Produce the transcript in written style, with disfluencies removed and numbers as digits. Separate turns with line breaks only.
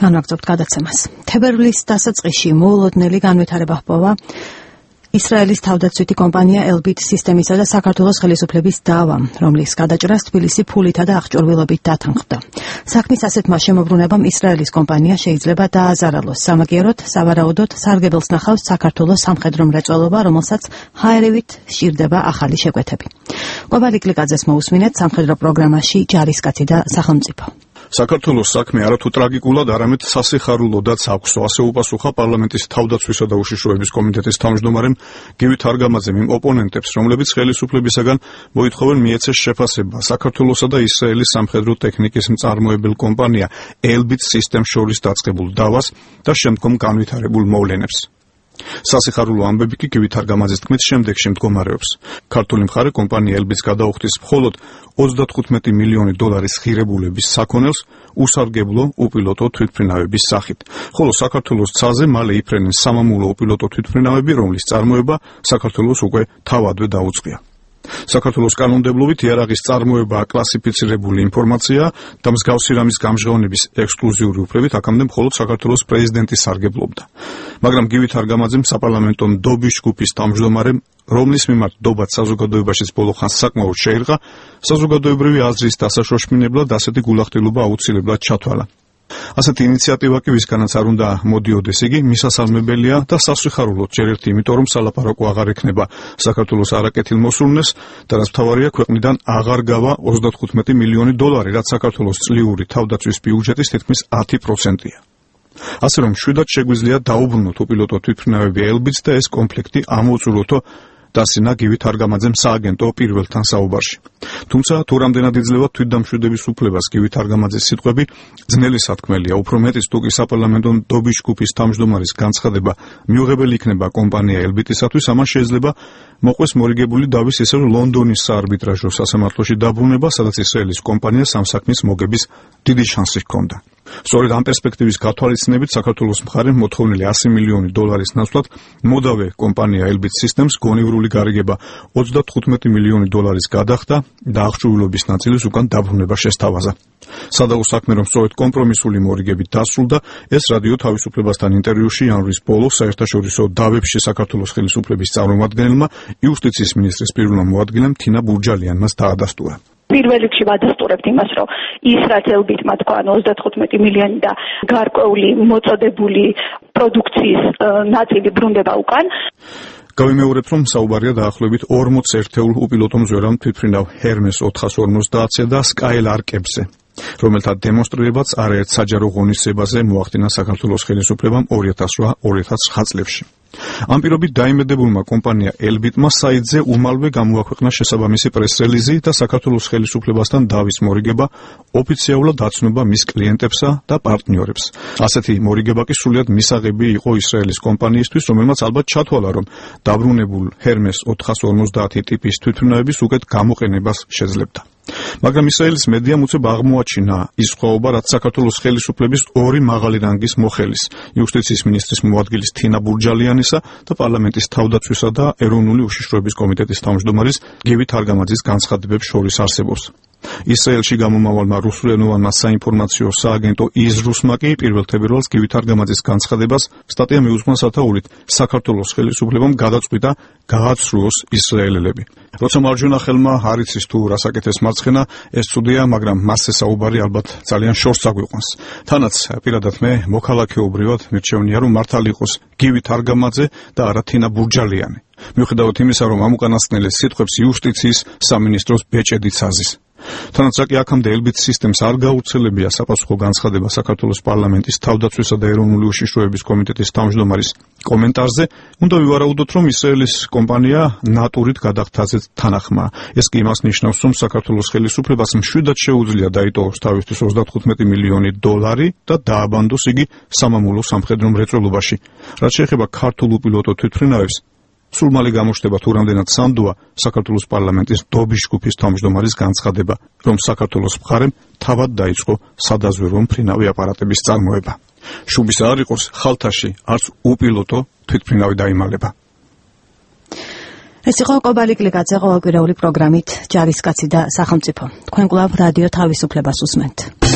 განვაგრძობთ გადაცემას. თებერვლის დასაწყისში მოულოდნელი განვითარება ჰპოვა ისრაელის თავდაცვითი კომპანია Elbit სისტემისა და საქართველოს ხელისუფლების დავამ, რომლის გადაჭრას თბილისი ფულითა და აღჭურვილობით დათანხმდა. საქმის ასეთმა შემოbrunებამ ისრაელის კომპანია შეიძლება დააზარალოს. სამაგიეროდ, სავარაუდოდ სარგებელს ნახავს საქართველოს სამხედრო მრეწველობა, რომელსაც ჰაერივით სჭირდება ახალი შეკვეთები. ყვება ლიკლიკაძეს მოусმინეთ სამხედრო პროგრამაში ჯარისკაცი და სახელმწიფო.
საქართველოს საქმე არათუ ტრაგიკულად, არამედ სასიხარულოდაც აქვს, ასე უპასუხა პარლამენტის თავდაცვისა და უშიშროების კომიტეტის თავმჯდომარემ გივი თარგამაძემ იმ ოპონენტებს, რომლებიც ხელისუფლებისაგან მოითხოვენ მიეცეს შეფასება საქართველოსა და ისრაელის სამხედრო ტექნიკის მწარმოებელ კომპანია Elbit სისტემს შორის დაწყებულ დავას და შემდგომ განვითარებულ მოვლენებს. სასიხარულო ამბები კი გივი თარგამაძის თქმით შემდეგში მდგომარეობს. ქართული მხარე კომპანია Elbit-ს გადაუხდის მხოლოდ $35 მილიონი ღირებულების საქონელს უსარგებლო უპილოტო თვითმფრინავების სახით. ხოლო საქართველოს ცაზე მალე იფრენენ სამამულო უპილოტო თვითმფრინავები, რომლის წარმოება საქართველოს უკვე თავადვე დაუწყია. საქართველოს კანონმდებლობით იარაღის წარმოებაა კლასიფიცირებული ინფორმაცია და მსგავსი რამის გამჟღავნების ექსკლუზიური უფლებით აქამდე მხოლოდ საქართველოს პრეზიდენტი სარგებლობდა. მაგრამ გივი თარგამაძემ საპარლამენტო ნდობის ჯგუფის თავმჯდომარემ, რომლის მიმართ ნდობაც საზოგადოებაშიც ბოლო ხანს საკმაოდ შეირღა, საზოგადოებრივი აზრის დასაშოშმინებლად ასეთი გულახდილობა აუცილებლად ჩათვალა. ასეთი ინიციატივა კი ვისგანაც არ უნდა მოდიოდეს, იგი მისასალმებელია და სასიხარულოდ ჯერ ერთი იმიტომ, რომ სალაპარაკო აღარ ექნება საქართველოს არაკეთილ მოსურნეს და რაც მთავარია, ქვეყნიდან აღარ გავა $35 მილიონი, რაც საქართველოს წლიური თავდაცვის ბიუჯეტის თითქმის 10%-ია. ასე რომ მშვიდად შეგვიძლია დაუბრუნოთ უპილოტო თვითმფრინავები Elbit-ს და ეს კონფლიქტი ამოუწურულოთ დასინა გივი თარგამაძემ სააგენტო პირველთან საუბარში. თუმცა თუ რამდენად იძლევა თვითდამშვიდების უფლებას გივი თარგამაძის სიტყვები, ძნელი სათქმელია, უფრო მეტიც თუ კი საპარლამენტო ნდობის ჯგუფის თავმჯდომარის განცხადება მიუღებელი იქნება კომპანია Elbit-ისათვის, ამან შეიძლება მოყვეს მორიგებული დავის ისევ ლონდონის საარბიტრაჟო სასამართლოში დაბრუნება, სადაც ისრაელის კომპანიას ამ საქმის მოგების დიდი შანსი ჰქონდა. სწორედ ამ პერსპექტივის გათვალისწინებით საქართველოს მხარემ მოთხოვნილი $100 მილიონი ნაცვლად მოდავე კომპანია Elbit სისტემს გონივრული გარიგება $35 მილიონი გადახდა და აღჭურვილობის ნაწილის უკან დაბრუნება შესთავაზა. სადაო საქმე, რომ სწორედ კომპრომისული მორიგებით დასრულდა, ეს რადიო თავისუფლებასთან ინტერვიუში იანვრის ბოლოს საერთაშორისო დავებში საქართველოს ხელისუფლების წარმომადგენელმა იუსტიციის მინისტრის პირველმა მოადგილემ თინა ბურჯალიანმაც დაადასტურა.
პირველ რიგში ვადასტურებთ იმას, რომ ის რაც Elbit-მა თქვა, 35 მილიონი და გარკვეული მოწოდებული პროდუქციის ნაწილი ბრუნდება უკან.
გავიმეორებ, რომ საუბარია დაახლოებით 40 ერთეულ უპილოტო მზვერან თვითმფრინავ Hermes 450-ზე და Skylark-ებზე, რომელთა დემონსტრირებაც არაერთ საჯარო ღონისძიებაზე მოახდინა საქართველოს ხელისუფლებამ 2008-2009 წლებში. ამ პირობით დაიმედებულმა კომპანია Elbit-მა საიტზე უმალვე გამოაქვეყნა შესაბამისი პრეს-რელიზი და საქართველოს ხელისუფლებასთან დავის მორიგება ოფიციალურად აცნობა მის კლიენტებსა და პარტნიორებს. ასეთი მორიგება კი სრულიად მისაღები იყო ისრაელის კომპანიისთვის, რომელმაც ალბათ ჩათვალა, რომ დაბრუნებულ Hermes 450 ტიპის თვითმფრინავების უკეთ გამოყენებას შეძლებდა. მაგრამ ისრაელის მედიამ უცებ აღმოაჩინა ის სხვაობა, რაც საქართველოს ხელისუფლების ორი მაღალი რანგის მოხელის, იუსტიციის მინისტრის მოადგილის თინა ბურჯალიანისა და პარლამენტის თავდაცვისა და ეროვნული უშიშროების კომიტეტის თავმჯდომარის გივი თარგამაძის განცხადებებს შორის არსებობს. ისრაელში გამომავალმა რუსულენოვანმა საინფორმაციო სააგენტო იზრუსმა კი პირველ თებერვალს გივი თარგამაძის განცხადებას სტატია მიუძღვნა სათაურით საქართველოს ხელისუფლებამ გადაწყვიტა გააცრუოს ისრაელელები. როცა მარჯვენა ხელმა არ იცის თუ რას აკეთებს მარცხენა, ეს ცუდია, მაგრამ მასზე საუბარი ალბათ ძალიან შორს აგვიყვანს. თანაც პირადად მე მოქალაქეობრივად მირჩევნია, რომ მართალი იყოს გივი თარგამაძე და არა თინა ბურჯალიანი. მიუხედავად იმისა, რომ ამ უკანასკნელის სიტყვებს იუსტიციის სამინისტროს ბეჭედიც აზის. თანაც კი აქამდე Elbit სისტემს არ გაუცელებია საპასუხო განცხადება საქართველოს პარლამენტის თავდაცვისა და ეროვნული უშიშროების კომიტეტის თავმჯდომარის კომენტარზე, უნდა ვივარაუდოთ, რომ ისრაელის კომპანია ნატურით გადახდაზე თანახმა. ეს კი იმას ნიშნავს, რომ საქართველოს ხელისუფლებას მშვიდად შეუძლია დაიტოვოს თავისთვის $35 მილიონი და დააბანდოს იგი სამამულო სამხედრო მრეწველობაში. რაც შეეხება ქართულ უპილოტო თვითმფრინავებს, სულ მალე გამოჩნდება თუ რამდენად სანდოა საქართველოს პარლამენტის ნდობის ჯგუფის თავმჯდომარის განცხადება, რომ საქართველოს მხარემ თავად დაიწყო სადაზვერვო მფრინავი აპარატების წარმოება. შუბის არ იყოს, ხალთაში არც უპილოტო თვითმფრინავი დაიმალება.
ეს იყო ყვება ლიკლიკაძე ყოველკვირეული პროგრამით ჯარისკაცი და სახელმწიფო. თქვენ კვლავ რადიო თავისუფლებას უსმენთ.